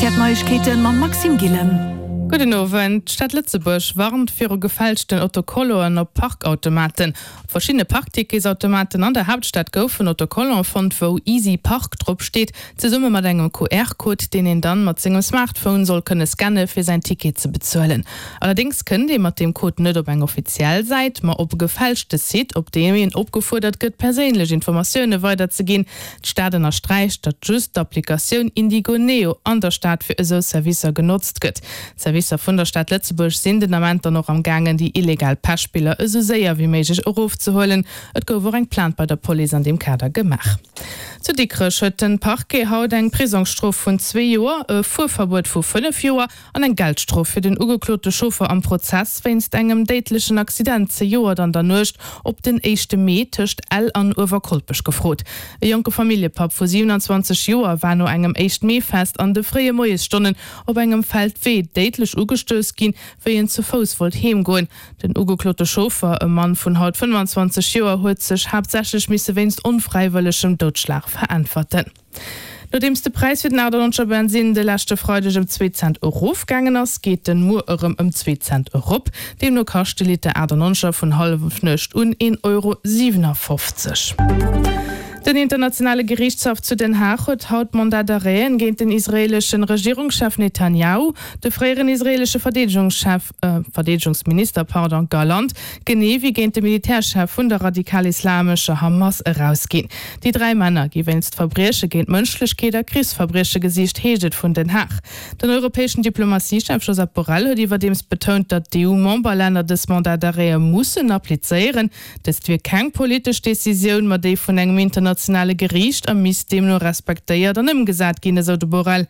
Rtl Neiegkeeten mam Maxime Gillen. Gudden Owend. D'Stad Lëtzebuerg warnt viru gefälschten Autocolloen op Parkautomaten. Op verschiddene Parkticketsautomaten an der Haaptstad goufen Autocollante fonnt, wou Easy Park drop steet, zesumme mat engem QR-Code, deen een dann mat sengem Smartphone soll kënne scanne fir säin Ticket ze bezuelen. Allerdéngs kënnt ee mat deem Code net op eng offiziell Säit, ma op e gefälschte Site, op deem een opgefuerdert gëtt, perséinlech Informatioune weiderzeginn. D'Stad ënnersträicht, datt just d'Applikatioun Indigo Neo an der Stad fir esou Servicer genotzt gëtt. D'Servicer vun der Stad Lëtzebuerg sinn den Ament dann och am gaangen, déi illegal Pechspiller esou séier wéi méiglech erofzehuelen. Et gouf och eng Plainte bei der Police an deem Kader gemaach. Zu Dikrech huet de Parquet haut eng Prisongsstrof vun zwee Joer, e Fuerverbuet vu 5 Joer an eng Geldstrof fir den ugeklote Chauffer am Prozess wéinst engem déidlechen Accident zejoert an der Nuecht op den éischte Mee tëscht Ell an Uewerkolpech gefrot. E jonke Familljepapp vu 27 Joer war no engem Éischt-Mee-Fest an de fréie Moiesstonnen op engem Feldwee déidlech ugestouss ginn, wéi en zu Fouss wollt heemgoen. Den ugeklote Chauffer, e Mann vun haut 25 Joer, huet sech haaptsächlech misse wéinst onfräiwëllegem Doudschlag veräntwerten. Nodeems de Präis fir den 98er Bensinn de leschte Freideg ëm zwee Cent erofgaangen ass, geet en muer erëm ëm zwee Cent erop. Deemno kascht de Liter 98er vun Hallefnuecht un 1,57 Euro. Den internationale Geriichtshaff zu Den Haag huet haut Mandat d'arrêten géint den israeeleschen Regierungschef Netanjahu, de fréieren israeelesche Verdeedegungschef, Verdeedegungsminister, pardon, Gallant, genee wéi géint de Militärchef vun der radikal-islamescher Hamas erausginn. Déi 3 Männer gi wéinst Verbrieche géint d'Mënschlechkeet a Krichsverbrieche gesicht, heescht et vun Den Haag. Den europäeschen Diplomatiechef Josep Borrell huet iwwerdeems betount, datt d'EU-Memberlänner dës Mandat d'arrêtë mussen applizéieren. Dëst wier keng politesch Decisioun, ma déi vun engem internationale Geriicht a misst deemno respektéiert an ëmgesat ginn, esou de Borrell.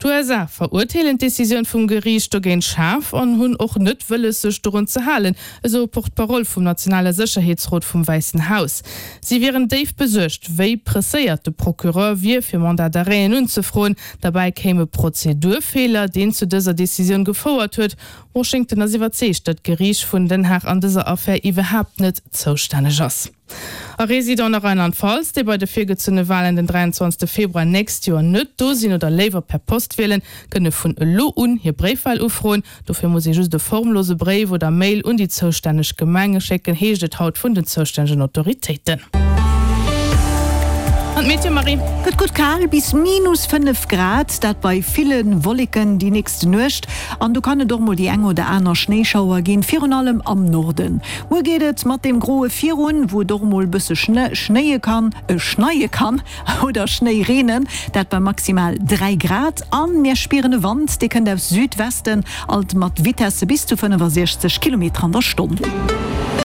D'USA verurteelen d'Decisioun vum Geriicht dogéint schaarf an hunn och net wëlles, sech dorun ze halen, esou e Porte-parole vum nationale Sécherheetsrot vum Wäissen Haus. Si wieren déif besuergt, wéi presséiert de Procureur wier, fir Mandat d'arrêten unzefroen. Derbäi kéim e Prozedurfeeler, deen zu dëser Decisioun gefouert huet. Washington ass iwwerzeegt, datt d'Geriicht vun Den Haag an dëser Affär iwwerhaapt net zoustänneg ass. A Residenten a Rheinland-Pfalz, déi bei de virgezunne Walen den 23 Februar nächst Joer net do sinn oder léiwer per Post wielen, kënne vun elo un hir Bréifwal ufroen. Dofir muss ee just e formlose Bréif oder Mail un déi zoustänneg Gemenge schécken, heescht et haut vun den zoustännegen Autoritéiten. An d'Meteo, Marie? Gëtt gutt kal, bis minus 5 Grad, dat bei ville Wolleken déi nächst Nuecht. An do kann et och mol déi eng oder aner Schnéischauer ginn, virun allem am Norden. Muer geet et mat deem Groe virun, wou et och mol bësse schnéie kann, schneie kann oder Schnéi reenen, dat bei maximal 3 Grad. An mir spieren e Wand, dee kënnt aus Südwesten, alt mat Vitesse bis zu 65 Kilometer an der Stonn.